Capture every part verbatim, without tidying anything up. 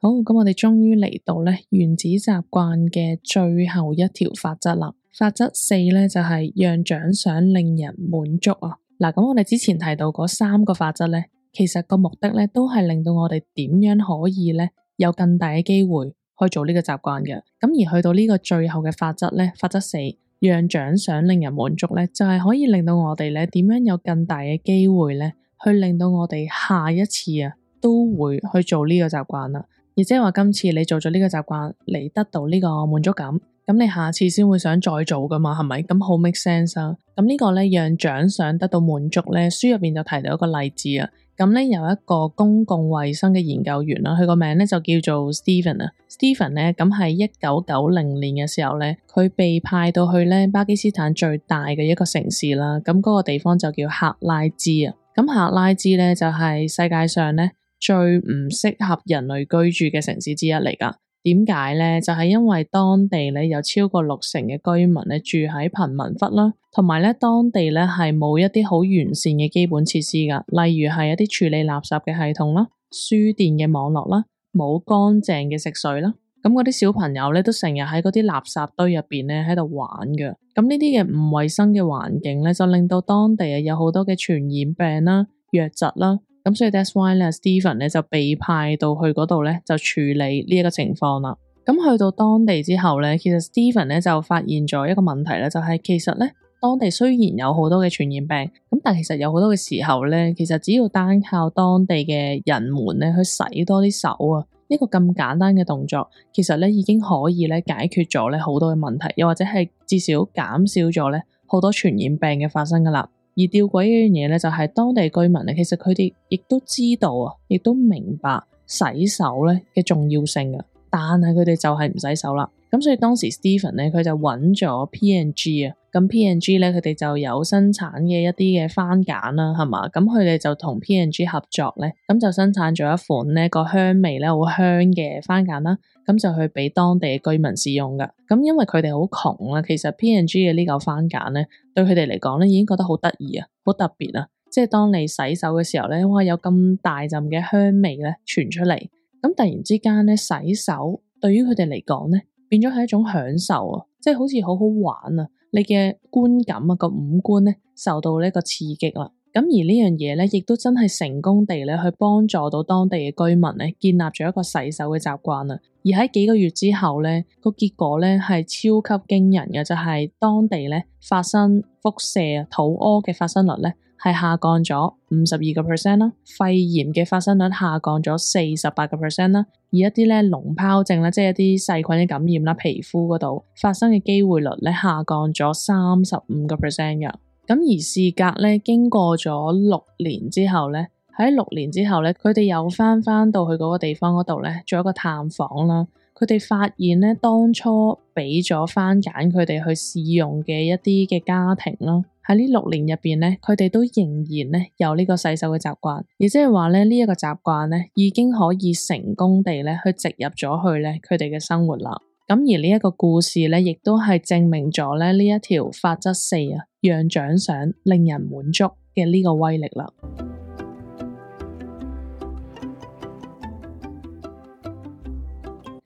好，咁我哋終於嚟到咧原子習慣嘅最後一條法則啦。法則四咧就係讓獎賞令人滿足啊。嗱，咁我哋之前提到嗰三個法則咧，其實個目的咧都係令到我哋點樣可以咧有更大嘅機會去做呢個習慣嘅。咁而去到呢個最後嘅法則咧，法則四，讓獎賞令人滿足咧，就係可以令到我哋咧點樣有更大嘅機會咧，去令到我哋下一次啊都會去做呢個習慣啦。而即係話今次你做咗呢個習慣，你得到呢個滿足感，咁你下次先會想再做噶嘛，係咪？咁好 make sense 啊。咁呢個咧讓獎賞得到滿足咧，書入邊就提到一個例子啊。咁咧有一個公共衛生嘅研究員啦，佢個名咧就叫做 Stephen 啊。Stephen 咧咁喺一九九零年嘅時候咧，佢被派到去咧巴基斯坦最大嘅一個城市啦。咁嗰個地方就叫克拉茲啊。咁克拉茲咧就係世界上咧最唔適合人類居住嘅城市之一嚟噶。點解咧？就係因為當地咧有超過六成嘅居民咧住喺貧民窟啦，同埋咧當地咧係冇一啲好完善嘅基本設施噶，例如係一啲處理垃圾嘅系統啦、輸電嘅網絡啦、冇乾淨嘅食水啦。咁嗰啲小朋友咧都成日喺嗰啲垃圾堆入邊咧喺度玩噶。咁呢啲嘅唔衛生嘅環境咧，就令到當地啊有好多嘅傳染病啦、瘧疾啦。咁所以 that's why 咧 Stephen 咧就被派到去嗰度咧就處理呢一個情況啦。咁去到當地之後咧，其實 Stephen 咧就發現咗一個問題咧，就係其實咧當地雖然有好多嘅傳染病，咁但係其實有好多嘅時候咧，其實只要單靠當地嘅人們咧去洗多啲手啊，一個咁簡單嘅動作，其實咧已經可以咧解決咗咧好多嘅問題，又或者係至少減少咗咧好多傳染病嘅發生噶啦。而吊詭一樣嘢咧，就係當地居民咧，其實佢哋亦都知道啊，亦都明白洗手咧嘅重要性啊，但係佢哋就係唔洗手啦。咁所以當時 Stephen 咧，佢就揾咗 P and G 啊，咁 P and G 咧，佢哋就有生產嘅一啲嘅番梘啦，係嘛？咁佢哋就同 P and G 合作咧，咁就生產咗一款咧個香味咧好香嘅番梘啦，咁就去俾當地嘅居民使用噶。咁因為佢哋好窮啦，其實 P and G 嘅呢嚿番梘咧，對佢哋嚟講咧已經覺得好得意啊，好特別啊！即係當你洗手嘅時候咧，哇，有咁大陣嘅香味咧傳出嚟，咁突然之間咧洗手對於佢哋嚟講咧，變咗係一種享受啊！即係好似好好玩啊！你嘅觀感啊，個五官咧受到呢個刺激啦。咁而呢樣嘢咧，亦都真係成功地咧去幫助到當地嘅居民咧，建立咗一個洗手嘅習慣啊。而喺幾個月之後咧，個結果咧係超級驚人嘅，就係當地咧發生腹瀉啊、肚屙嘅發生率咧係下降咗五十二個 percent 啦，肺炎嘅發生率下降咗四十八個 percent 啦，而一啲咧膿皰症啦，即係一啲細菌嘅感染啦，皮膚嗰度發生嘅機會率咧下降咗三十五個 percent 嘅。咁而事隔咧經過咗六年之後咧，喺六年之後咧，佢哋又翻翻到去嗰個地方嗰度咧，做一個探訪啦。佢哋發現咧，當初俾咗番梘佢哋去試用嘅一啲嘅家庭啦，喺呢六年入邊咧，佢哋都仍然咧有呢個洗手嘅習慣，而即係話咧呢一個習慣咧已經可以成功地咧去植入咗去咧佢哋嘅生活啦。咁而呢一個故事咧，亦都係證明咗咧呢一條法則四啊，讓獎賞令人滿足嘅呢個威力啦。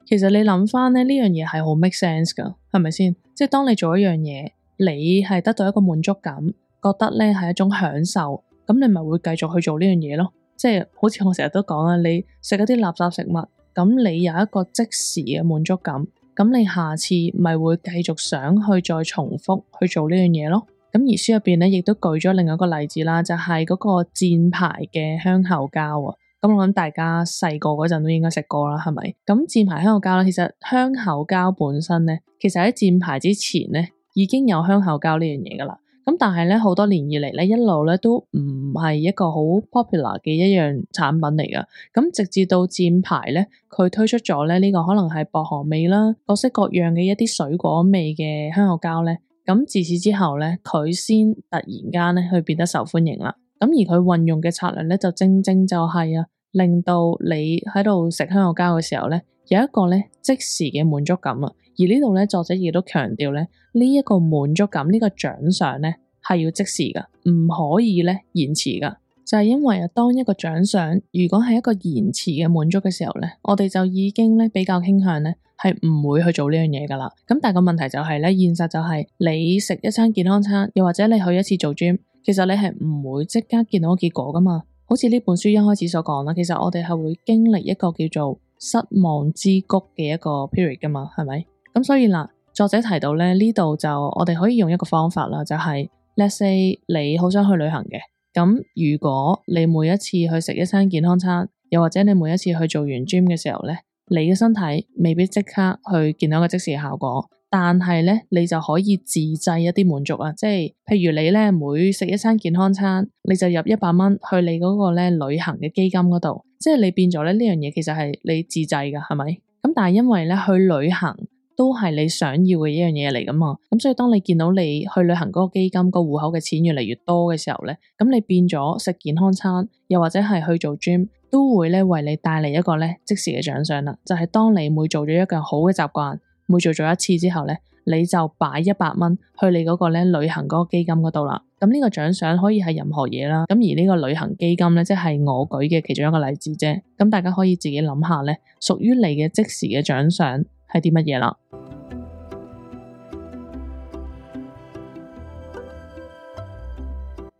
其實你諗翻咧呢樣嘢係好 make sense 噶，係咪先？即係當你做一樣嘢，你係得到一個滿足感，覺得咧係一種享受，咁你咪會繼續去做呢樣嘢咯。即係好似我成日都講啦，你食一啲垃圾食物，咁你有一個即時嘅滿足感，咁你下次咪會繼續想去再重複去做呢樣嘢咯。咁而書入邊咧亦都舉咗另一個例子啦，就係嗰個箭牌嘅香口膠啊。咁我諗大家細個嗰陣都應該食過啦，係咪？咁箭牌香口膠咧，其實香口膠本身咧，其實喺箭牌之前咧已經有香口膠呢樣嘢噶啦。咁但係咧好多年以嚟咧，一路咧都唔係一個好 popular 嘅一樣產品嚟噶。咁直至到箭牌咧，佢推出咗咧呢個可能係薄荷味啦，各式各樣嘅一啲水果味嘅香口膠咧。咁自此之後咧，佢先突然間咧去變得受歡迎啦。咁而佢運用嘅策略咧，就正正就係啊，令到你喺度食香口膠嘅時候咧，有一個咧即時嘅滿足感啊。而呢度咧，作者亦都強調咧，呢一個滿足感，呢個獎賞咧係要即時噶，唔可以咧延遲噶。就係因為啊，當一個獎賞如果係一個延遲嘅滿足嘅時候咧，我哋就已經咧比較傾向咧係唔會去做呢樣嘢噶啦。咁但係個問題就係咧，現實就係你食一餐健康餐，又或者你去一次做 gym，其實你係唔會即刻見到個結果噶嘛。好似呢本書一開始所講啦，其實我哋係會經歷一個叫做失望之谷嘅一個 period 噶嘛，係咪？咁所以嗱，作者提到咧，呢度就我哋可以用一個方法啦，就係 let's say 你好想去旅行嘅。咁如果你每一次去食一餐健康餐，又或者你每一次去做完 gym 嘅時候咧，你嘅身體未必即刻去見到一個即時嘅效果，但係咧你就可以自製一啲滿足啊，即係譬如你咧每食一餐健康餐，你就入一百蚊去你嗰個咧旅行嘅基金嗰度，即係你變咗咧呢樣嘢其實係你自製噶，係咪？咁但係因為咧去旅行都係你想要嘅一樣嘢嚟噶嘛，咁所以當你見到你去旅行嗰個基金個戶口嘅錢越嚟越多嘅時候咧，咁你變咗食健康餐，又或者係去做 gym，都會咧為你帶嚟一個咧即時嘅獎賞啦。就係當你每做咗一個好嘅習慣，每做咗一次之後咧，你就擺一百蚊去你嗰個咧旅行嗰個基金嗰度啦。咁呢個獎賞可以係任何嘢啦。咁而呢個旅行基金咧，即係我舉嘅其中一個例子啫。咁大家可以自己諗下咧，屬於你嘅即時嘅獎賞係啲乜嘢啦？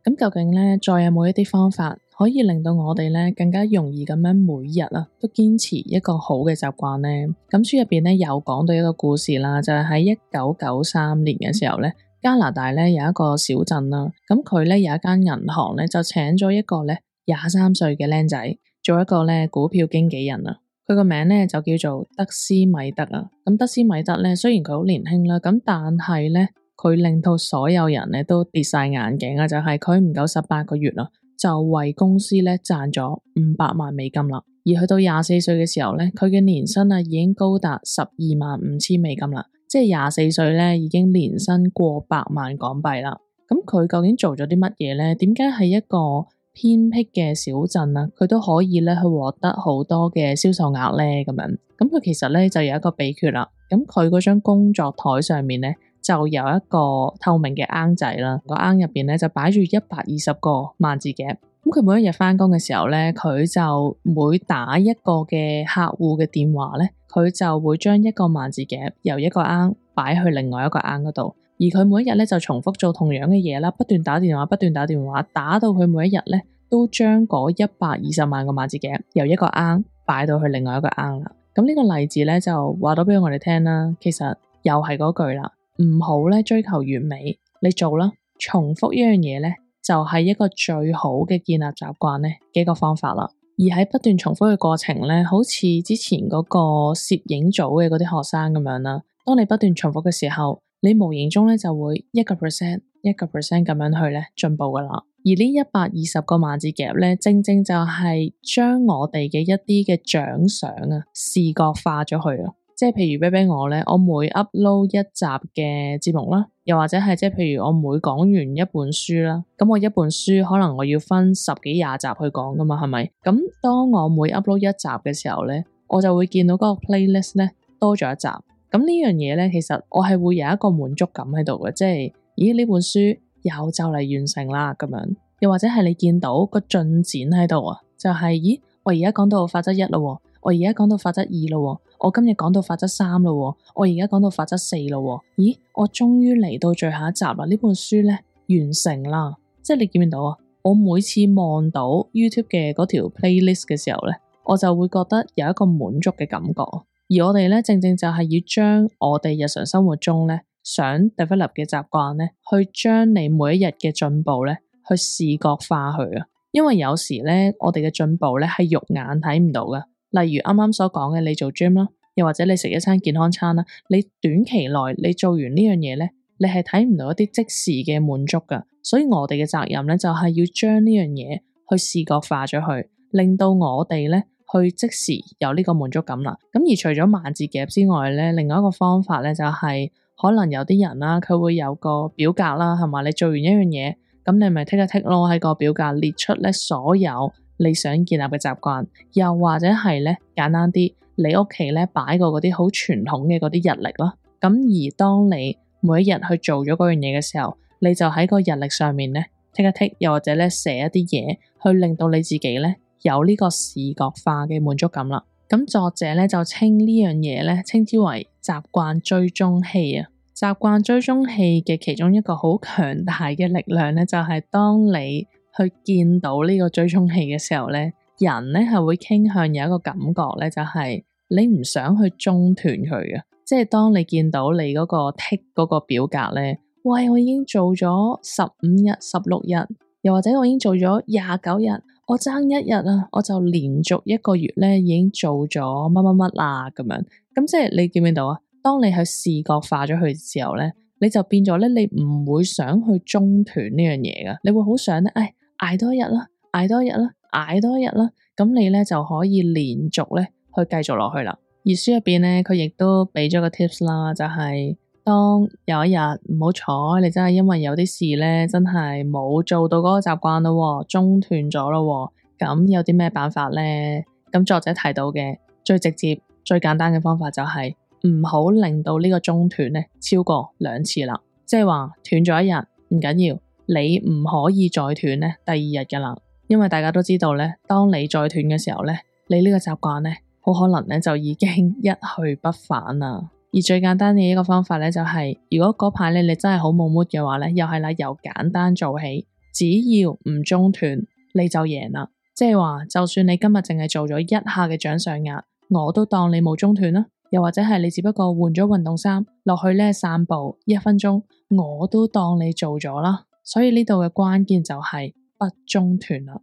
咁究竟咧，再有冇一啲方法可以令到我哋咧更加容易咁樣每日啊都堅持一個好嘅習慣呢？咁書入邊咧有講到一個故事啦，就係喺一九九三年嘅時候咧，加拿大咧有一個小鎮啦，咁佢咧有一間銀行咧就請咗一個咧廿三歲嘅僆仔做一個咧股票經紀人啊。佢個名咧就叫做德斯米德啊。咁德斯米德咧雖然佢好年輕啦，咁但係咧佢令到所有人咧都跌晒眼鏡啊！就係佢唔夠十八個月啦，就為公司咧賺咗五百萬美金啦。而去到廿四歲嘅時候咧，佢嘅年薪啊已經高達十二萬五千美金啦，即係廿四歲咧已經年薪過百萬港幣啦。咁佢究竟做咗啲乜嘢咧？點解係一個偏僻嘅小鎮啊，佢都可以咧去獲得好多嘅銷售額咧？咁樣，咁佢其實咧就有一個秘訣啦。咁佢嗰張工作台上面咧，就有一個透明嘅罌仔啦，個罌入邊咧就擺住一百二十個萬字夾。咁佢每一日返工嘅時候咧，佢就每打一個嘅客戶嘅電話咧，佢就會將一個萬字夾由一個罌擺去另外一個罌嗰度。而佢每一日咧就重複做同樣嘅嘢啦，不斷打電話，不斷打電話，打到佢每一日咧都將嗰一百二十萬個萬字夾由一個罌擺到去另外一個罌啦。咁呢個例子咧就話到俾我哋聽啦，其實又係嗰句啦。唔好咧追求完美，你做啦，重複一樣嘢咧就係一個最好嘅建立習慣咧幾個方法啦。而喺不斷重複嘅過程咧，好似之前嗰個攝影組嘅嗰啲學生咁樣啦，當你不斷重複嘅時候，你無形中咧就會一個 percent 一個 percent 咁樣去咧進步噶啦。而呢一百二十個萬字夾咧，正正就係將我哋嘅一啲嘅獎賞啊視覺化咗去啊。即係譬如俾俾我咧，我每 upload 一集嘅節目啦，又或者係即係譬如我每講完一本書啦，咁我一本書可能我要分十幾廿集去講噶嘛，係咪？咁當我每 upload 一集嘅時候咧，我就會見到嗰個 playlist 咧多咗一集。咁呢樣嘢咧，其實我係會有一個滿足感喺度嘅，即係咦呢本書又就嚟完成啦咁樣。又或者係你見到個進展喺度啊，就係咦我而家講到法則一啦，我而家講到法則二啦。我今日講到法則三咯，我而家講到法則四咯，咦，我終於嚟到最後一集啦！呢本書咧完成啦，即係你見唔見到啊？我每次望到 YouTube 嘅嗰條 playlist 嘅時候咧，我就會覺得有一個滿足嘅感覺。而我哋咧正正就係要將我哋日常生活中咧想 develop 嘅習慣咧，去將你每一日嘅進步咧去視覺化去啊。因為有時咧我哋嘅進步咧係肉眼睇唔到噶。例如啱啱所講嘅，你做 gym 啦，又或者你食一餐健康餐啦，你短期內你做完呢樣嘢咧，你係睇唔到一啲即時嘅滿足噶。所以我哋嘅責任咧就係要將呢樣嘢去視覺化咗去，令到我哋咧去即時有呢個滿足感啦。咁而除咗萬字夾之外咧，另外一個方法咧就係可能有啲人啦，佢會有個表格啦，係嘛？你做完一樣嘢，咁你咪剔一剔咯，喺個表格列出咧所有你想建立嘅習慣，又或者係咧簡單啲，你屋企咧擺個嗰啲好傳統嘅嗰啲日曆啦。咁而當你每一日去做咗嗰樣嘢嘅時候，你就喺個日曆上面咧剔一剔，又或者咧寫一啲嘢，去令到你自己咧有呢個視覺化嘅滿足感啦。咁作者咧就稱呢樣嘢咧稱之為習慣追蹤器啊。習慣追蹤器嘅其中一個好強大嘅力量咧，就係當你去見到呢個追蹤器嘅時候咧，人咧係會傾向有一個感覺咧，就係你唔想去中斷佢嘅。即係當你見到你嗰個剔嗰個表格咧，喂，我已經做咗十五日、十六日，又或者我已經做咗廿九日，我爭一日啊，我就連續一個月咧已經做咗乜乜乜啦咁樣。咁即係你見唔見到啊？當你去視覺化咗佢嘅時候咧，你就變咗咧，你唔會想去中斷呢樣嘢噶，你會好想咧，誒，捱多一日啦，捱多一日啦，捱多一日啦，咁你咧就可以連續咧去繼續落去啦。而書入邊咧，佢亦都俾咗個 tips 啦，就係當有一日唔好彩，你真係因為有啲事咧，真係冇做到嗰個習慣咯，中斷咗咯，咁有啲咩辦法咧？咁作者提到嘅最直接、最簡單嘅方法就係唔好令到呢個中斷咧超過兩次啦。即係話斷咗一日唔緊要，你唔可以再斷咧第二日噶啦，因為大家都知道咧，當你再斷嘅時候咧，你呢個習慣咧好可能咧就已經一去不返啦。而最簡單嘅一個方法咧就係，如果嗰排咧你真係好冇 mood 嘅話咧，又係啦，由簡單做起，只要唔中斷你就贏啦。即係話就算你今日淨係做咗一下嘅掌上壓，我都當你冇中斷啦。又或者係你只不過換咗運動衫落去咧散步一分鐘，我都當你做咗啦。所以呢度嘅關鍵就係不中斷啦。